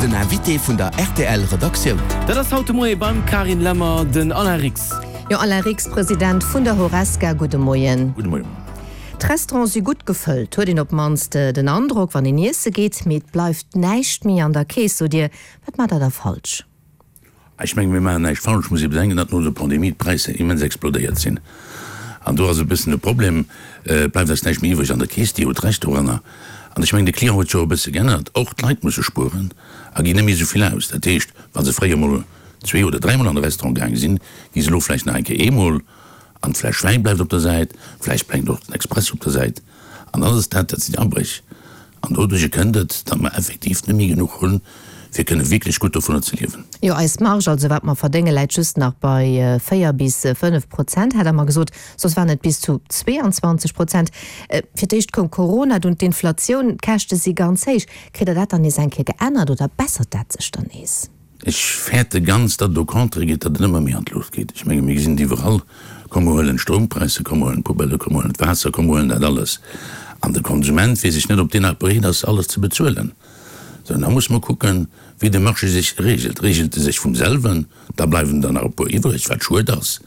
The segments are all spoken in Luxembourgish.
Den Invité vun der rtl Redaktioun. Dat ass haut de Moie beim Carine Lemmer den Alain Rix. Jo, Alain Rix, President vun der Horesca, gudde Moien. Gudde Moien. D'Restaurante si gutt gefëllt, huet een op d'mannst den Androck, wann een iesse geet. Mee et bleift näischt méi an der Keess, sot Dir. Wat maacht Der da falsch? Ech mengen, mir maachen näischt falsch. Et muss ee bedenken, datt no der Pandemie d'Präisser immens explodéiert sinn. An do ass e bëssen de Problem, et bleift eis näischt méi iwwreg an der Keess. Dir hutt Recht doranner. An ech mengen, de Client huet sech och e bësse geännert. Och d'Leit musse spueren a ginn net méi esou vill aus. Dat heescht, wa se fréier mol zwee oder dräimol an de Restaurant gaange sinn, gi se elo vläicht nach eng Kéier eemol. An d'Fläsch Wäin bleift op der Säit, vläicht bleift och den Expresso op der Säit. An alles dat, dat sinn Abréch. An doduercher kënnt et, datt mer effektiv net méi genuch hunn, fir kënne wierklech gutt dovunner ze liewen. Jo, eis Marge, also wat mer verdéngen, läit just nach bei 4 bis 5 Prozent, hat Der mer gesot. Soss waren et bis zu 22 Prozent. Fir d'éischt koum Corona, dunn d'Inflatioun, d'Käschte si ganz héich. Kritt Der dat dann nees eng Kéier geännert oder bessert dat sech dann nees? Ech fäerte ganz, datt et au contraire geet, datt et ëmmer méi an d'Luucht geet. Ech menge mir gesinn et iwwerall, komm mer huelen d'Stroumpräisser, komm mer huelen d'Poubellë, komm mer huelen d'Waasser, komm mer huelen dat alles. An de Konsument weess ech net, ob deen nach bereet ass, alles ze bezuelen. Sou, an da musse mer kucken, wéi de Marché sech reegelt. Reegelt e sech vum selwen, da bleiwen der nach e puer iwwreg, wat schued ass.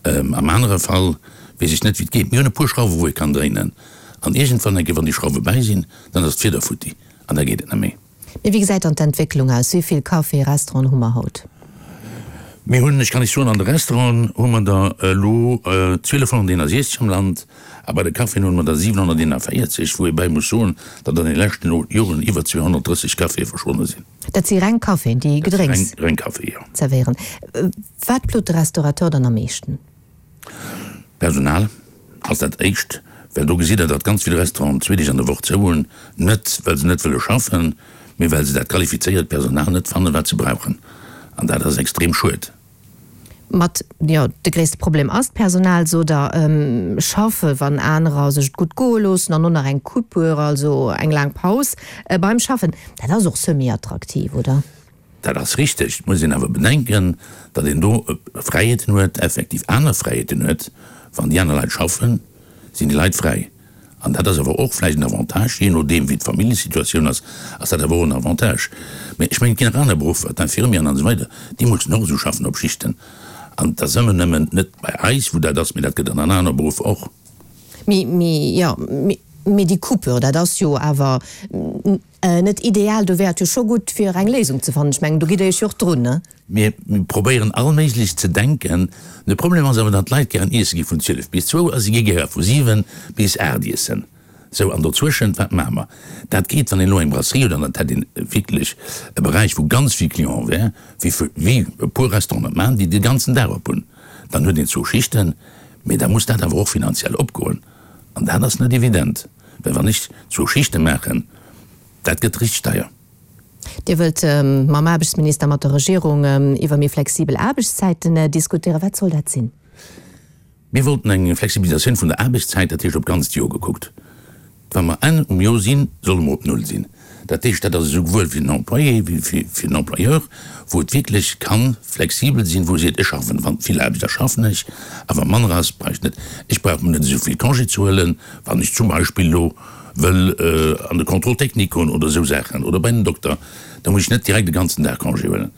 Am anere Fall weess ech net, wéi et geet. Mir hunn e puer Schrauwe wou ee kann dréinen. An iergendwann eng Kéier, wann déi Schrauwe bäi sinn, dann ass d'Fieder futti an da geet et net méi. Mee wéi gesäit dann d'Entwécklung aus? Wéi vill Caféen, Restauranten hu mer haut? Mir hunn, ech kann lech soen, an de Restauranten hu mer der elo 1261 am Land a bei de Caféen hunn mer der 741, wou ee bäi muss soen, datt an de leschten Joren iwwer 230 Caféë verschwonne sinn. Dat si reng Caféen, déi Gedrénks Dat si reng Caféen, jo. zerwéieren. Wat plot de Restaurateur dann am meeschten? Personal ass dat éischt, well do gesitt Der, datt ganz vill Restauranten zwee Deeg an der Woch zou hunn, net well se net wëlle schaffen, mee well se dat qualifizéiert Personal net fannen, wat se brauchen. An dat ass extrem schued. Mat, jo, de gréisste Problem ass d'Personal, sot Der. Schaffe wann anerer sech et gutt goe loossen an och nach eng Coupure, also eng laang Paus beim Schaffen, dat ass och semi-attraktiv, oder? Dat ass richteg. Et muss een awer bedenken, datt een do Fräiheeten huet, effektiv aner Fräiheeten huet. Wann déi aner Leit schaffen, sinn déi Leit fräi. An dat ass awer och vläicht en Avantage, jee nodeem wéi d'Familljesituatioun ass, ass dat awer och en Avantage. Mä ech mengen, et ginn nach aner Beruffer, d'Infirmieren an esou weider, déi mussen och esou schaffen op Schichten. An et ass ëmmer nëmmen net bei eis, wou dat ass, mä dat gëtt an anere Beruffer och. Mee, mee, jo, mee déi Coupure, dat ass jo awer Net ideal, do wär et jo scho gutt fir eng Léisung ze fannen. Ech mengen, do gitt Der Iech jo och drun, ne? Mir probéieren allméiglech ze denken. De Problem ass awer, datt d'Leit gären iesse gi vun 12 bis zwou a si gi gäre vu 7 bis 8 iessen. Sou, an dozwëschent, wat maache mer? Dat geet, wann een elo eng Brasserie huet an dat hätt een wierklech e Beräich, wou ganz vill Client wär, wéi wéi e puer Restauranten dat maachen, déi de ganzen Dag op hunn, dann huet een zwou Schichten, mee da muss dat awer och finanziell opgoen an dat ass net evident. Well wann ech zwou Schichte maachen, dat gëtt richteg deier. Dir wëllt mam Aarbechtsminister, mat der Regierung iwwer méi flexibel Aarbechtszäiten diskutéieren. Wat soll dat sinn? Mir wollten eng Flexibilisatioun vun der Aarbechtszäit, dat heescht op d'ganzt Joer gekuckt. Wa mer Enn um Joer sinn, solle mer op Null sinn. Dat heescht, dat ass esouwuel fir den Employé wéi fir den Employeur, wou et wierklech ka flexibel sinn, wou e seet, ech schaffen, wann vill Aarbecht ass, schaffen ech, a wa manner ass, brauch ech net, ech brauch mer net esou vill Congé ze huelen, wann ech zum Beispill elo wëll an de Contrôle technique goen oder esou Saachen oder bei den Dokter, da muss ech net direkt e ganzen Dag Congé huelen.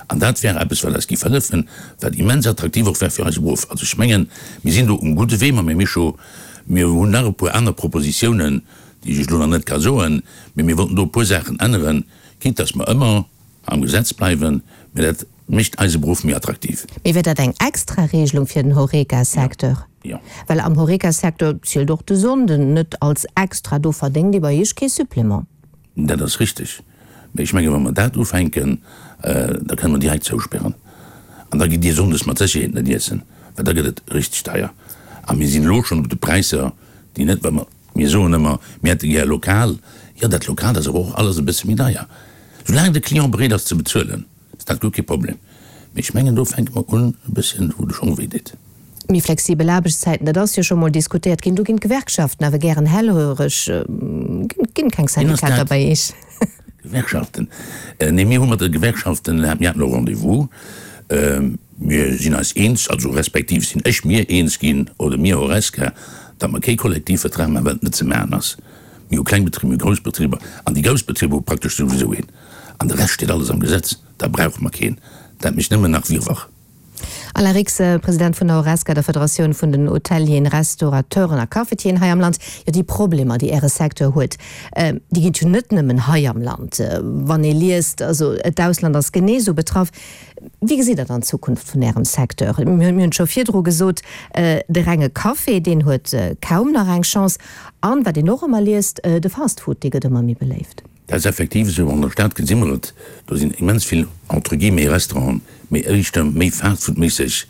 An dat wär eppes, wat eis géif hëllefen, wat immens attraktiv och wär fir eise Beruff. Also ech mengen, mir sinn do um gudde Wee mam Här Mischo. Mir hunn nach e puer aner Propositiounen, déi ech elo nach net ka soen, mee mir wollten do e puer Saachen änneren, quitte dass mer ëmmer am Gesetz bleiwen, mee dat mécht eise Beruff méi attraktiv. Mee wier dat eng extra Regelung fir den Horeca-Secteur? Jo. Well am Horeca-Secteur zielt och de Sonnden net als extra, do verdéngt ee bei Iech kee Supplément. Dat ass richteg. Mee ech menge wa mer dat ufänken, da kënne mer direkt zousperren. An da gitt Dir sonndes mat Sécherheet net iessen, well da gëtt et richteg deier. A mir sinn elo schonn op de Präisser, déi net, well mer, mir soen ëmmer, mir hätte gär lokal. Jo, dat Lokaalt ass awer och alles e bësse méi deier. Soulaang de Client bereet ass ze bezuelen, ass dat guer kee Problem. Mee ech mengen, do fänke mer un e bësschen, wou de Schong wéi deet. Méi flexibel Aarbechtszäiten, dat ass jo scho mol diskutéiert ginn. Do ginn d'Gewerkschaften awer gären hellhöreg. Ginn keng Syndikater bei Iech? Gewerkschaften? Nee, mir hu mat de Gewerkschaften, mir haten elo Rendez-vous. Mir sinn eis eens, also respektiv sinn ech mir eens ginn, oder mir Horesca, datt mer kee Kollektivvertrag maachen, well et net ze maachen ass. Mir hu kleng Betriber, mir hu grouss Betriber an déi grouss Betriber hu praktesch souwisou een. An de Rescht steet alles am Gesetz. Da brauche mer keen. Dat mécht nëmmen nach Wirrwarr. Alain Rix, President vun der Horesca, der Federatioun vun den Hotelieren, Restaurateuren a Cafetieren hei am Land. Jo, déi Problemer, déi Äre Secteur huet, déi ginn et jo net nëmmen hei am Land. Wann ee liest, also d'Ausland ass genee esou betraff. Wéi gesitt Der dann d'Zukunft vun Ärem Secteur? Mir hunn et scho virdru gesot, de renge Café, deen huet kaum nach eng Chance. An, wat een och ëmmer liest, de Fast Food, dee gëtt ëmmer méi beléift. Dat ass effektiv esou. An der Stad gesi mer et, do sinn immens vill entre guillemets Restauranten, mee éischter méi fastfoodméisseg.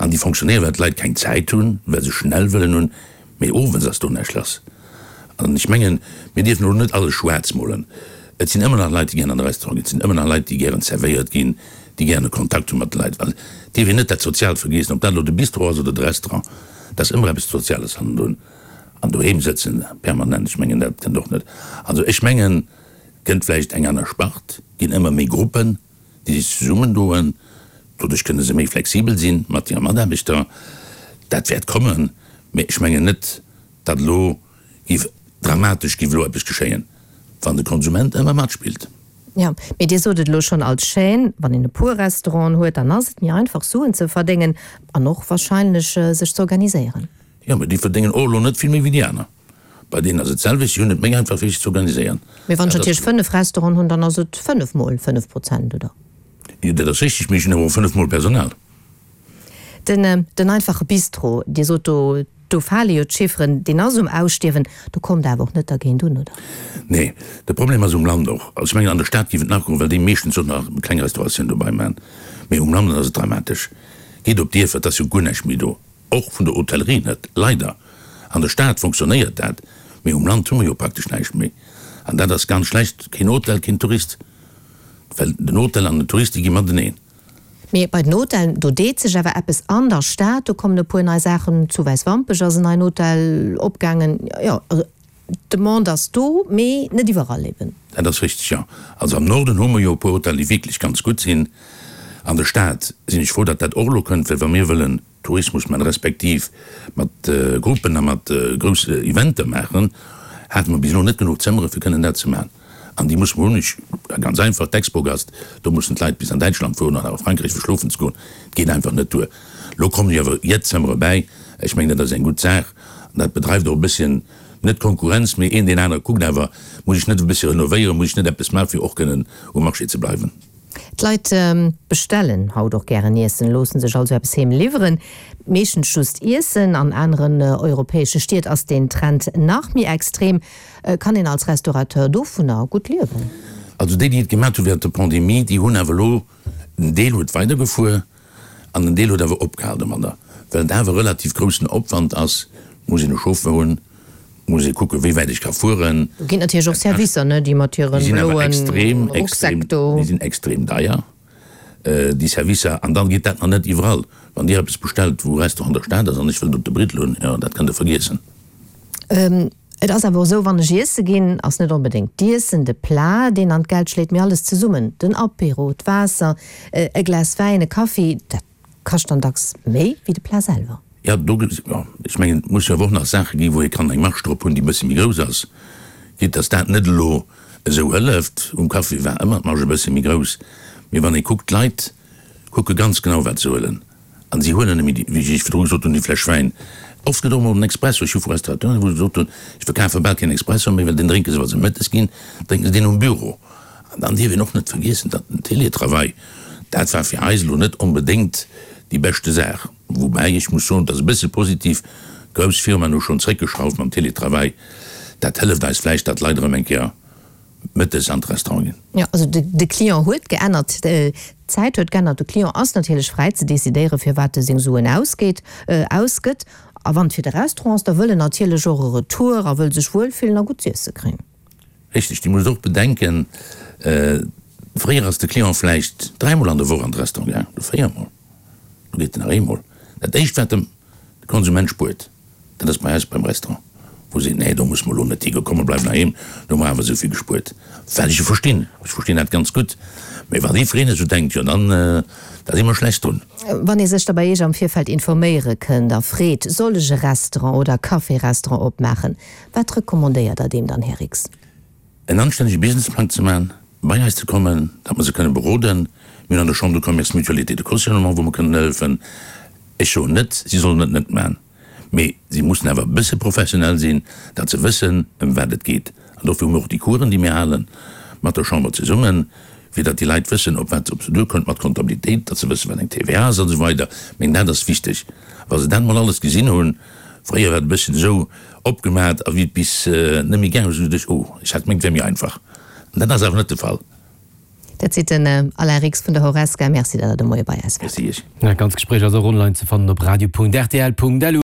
An déi fonctionnéieren, well d'Leit keng Zäit hunn, well se schnell wëllen hunn, mee owes ass do näischt lass. An ech mengen, mir dierfen elo net alles schwaarz molen. Et sinn ëmmer nach Leit, déi gären an de Restaurant ginn, et sinn ëmmer nach Leit, déi gären zerwéiert ginn, déi gären e Kontakt hu mat de Leit. Well et dierf een net dat Soziaalt vergiessen, ob dat elo de Bistro ass oder de Restaurant, et ass ëmmer eppes Soziales hannendrun. An doheem sëtzen permanent, ech mengen, dat kënnt och net. Also ech mengen, et kënnt vläicht eng aner Spart, ginn ëmmer méi Gruppen, déi sech zesummendoen, doduerch kënne se méi flexibel sinn mat hire Mataarbechter. Dat wäert kommen, mä ech mengen net, datt elo géif dramatesch géif elo eppes geschéien, wann de Konsument ëmmer matspillt. Jo, mee Dir sot et elo schonn, als Chaîne, wann een e puer Restauranten huet, dann ass et méi einfach Suen ze verdéngen an och wahrscheinlech sech ze organiséieren. Jo, mee déi verdéngen och elo net vill méi wéi déi aner. Bei deenen ass et d'selwecht, si hunn et méi einfach fir sech ze organiséieren. Mee wann ech natierlech 5 Restauranten hunn, dann ass et 5 mol 5 Prozent, oder? Jo, dat ass richtig, mee ech hunn awer och 5 mol Personal. Den, den einfache Bistro, Dir sot do, do fale jo d'Chifferen, deen ass um Ausstierwen. Do kommt Der awer och net dergéint un, oder? Nee, de Problem ass um Land och. Also ech mengen, an der Stad géif et nach goen, well déi meeschtens och nach kleng Restauratioun dobei maachen. Mee um Land ass et dramatesch. Gitt op d'Dierfer, et ass jo guer näischt méi do. Och vun der Hotellerie net, leider. An der Stad fonctionnéiert dat, mee um Land hu mer jo praktesch näischt méi. An dat ass ganz schlecht. Keen Hotel, keen Tourist. Well den Hotel an den Tourist, déi gi mateneen. Mee bei den Hotellen, do deet sech awer eppes an der Stad. Do kommen e puer nei Saachen. Zu Wäiswampech ass en neien Hotel opgaangen. Jo, also d'Demande ass do, mee net iwwerall eben. Dat ass richteg, jo. Also am Norden hu mer jo e puer Hotellen, déi wierklech ganz gutt sinn. An der Stad sinn ech frou, datt dat och elo kënnt, well wa mir wëllen Tourismus maachen, respektiv mat Gruppen a mat grousse Eventer maachen, hate mer bis elo net genuch Zëmmere fir kënnen dat ze maachen. An déi musse mer hunn. Ech, ganz einfach, d'Expogast, do mussen d'Leit bis an Däitschland fueren oder a Frankräich fir schlofen ze goen. Et geet einfach net duer. Elo kommen jo awer jett Zëmmere bäi. Ech mengen, dat ass eng gutt Saach. An dat bedreift och e bësschen, net Konkurrenz, mee een deen anere kuckt awer, muss ech net e bëssche renovéieren, muss ech net eppes maachen, fir och kënnen um Marché ze bleiwen. D'Leit bestellen haut och gären Iessen, loossen sech also eppes heem liwweren. Meeschtens just Iessen. An aneren europäesche Stied ass deen Trend nach méi extrem. Kann een als Restaurateur dovunner gutt liewen? Also déi, déi et gemat hu während der Pandemie, déi hunn awer elo, en Deel huet weidergefuer an en Deel huet awer opgehal domadder, well et awer relativ groussen Opwand ass, muss een e Chauffeur hunn, muss ee kucken, wéi wäit ech ka fueren. Do ginn natierlech och Servicer, ne, déi mat hire bloen Rucksäck do. Déi sinn extrem deier, déi Servicer, an dann geet dat nach net iwwerall. Wann Dir eppes bestellt, wou e Restaurant an der Stad ass an ech wëll et op de Briddel hunn, jo, dat kënnt Der vergiessen. Et ass awer och esou, wann ech iesse ginn, ass net onbedéngt d'Iessen, de Plat, deen an d'Geld schléit, mee alles zesummen, den Apéro, d'Waasser, e Glas Wäin, e Kaffi, dat kascht dann dacks méi wéi de Plat selwer. Jo, do, jo, ech mengen, et muss jo awer och nach Saache ginn, wou ee kann eng Marge drop hunn, déi e bësse méi grouss ass, quitte dass dat net elo esou hëlleft. Um Kaffi war ëmmer d'Marge e bësse méi grouss, mee wann ee kuckt, d'Leit kucke ganz genau, wat se huelen. An si huelen nëmme déi, wéi ech virdru gesot hunn, déi Fläsch Wäin. Oft gëtt och emol en Expresso. Ech hu vu Restaurateuren, wou se gesot hunn, ech verkafe bal keen Expresso méi, well deen drénke se, wa se mëttes ginn, drénke se deen um Büro. An dann dierf een och net vergiessen, datt den Télétravail, dat war fir eis elo net onbedéngt déi beschte Saach. Woubäi ech muss soen, et ass e bësse positiv, grouss Firmaen hu schonn zréckgeschrauft mam Télétravail. Dat hëlleft eis vläicht, datt d'Leit erëm eng Kéier mëttes an d'Restaurant ginn. Jo, also de Client huet geännert, d'Zäit huet geännert. De Client ass natierlech fräi ze decidéieren, fir wat e seng Suen ausgeet, ausgëtt. A wann et fir de Restaurant ass, da wëll en natierlech och e Retour a wëll sech wuelfillen a gutt z'iesse kréien. Richteg, Dir musst och bedenken, fréier ass de Client vläicht dräimol an der Woch an de Restaurant gaangen, elo véiermol, elo geet en nach eemol. Dat éischt wat de Konsument spuert, Dat ass bei eis beim Restaurant, wou seet, nee, do musse mer elo net higoen, komm mer bleiwen heiheem, do hu mer awer esou vill gespuert. Wat ech jo verstinn, ech verstinn dat ganz gutt, mä wann jiddwereen esou denkt, jo dann, da si mer schlecht drun. Wann ee sech da bei Iech am Virfeld informéiere kënnt a freet, soll ech e Restaurant oder e Café-Restaurant opmaachen, wat recommandéiert Der deem dann, Här Rix? En anstännege Businessplang ze maachen. bei eis ze kommen, datt mer se kënnen beroden. Mir hunn an der Chambre de Commerce Mutualité de cautionnement, wou mer kënnen hëllefen. Ech soen net, si sollen et net maachen, mee si mussen awer e bësse professionell sinn, datt se wëssen, ëm wat et geet. An dofir hu mir och déi Coursen, déi mir halen, mat der Chamber zesummen, fir datt déi Leit wëssen, op wat se op se duerkommt mat Comptabilitéit, datt se wëssen, wat eng TVA ass an esou weider. Meng, dat ass wichteg. Wa se dat emol alles gesinn hunn, fréier war et e bësschen esou opgemat, a wéi et bis net méi gaang ass, hu se geduecht, oh, ech hat gemengt, et wär méi einfach. An dat ass awer net de Fall. Dat seet den Alain Rix vun der Horesca. Merci, datt Der de Moie bei eis waart. Merci Iech. Dat ganz Gespréich ass och online ze fannen op radio.rtl.lu.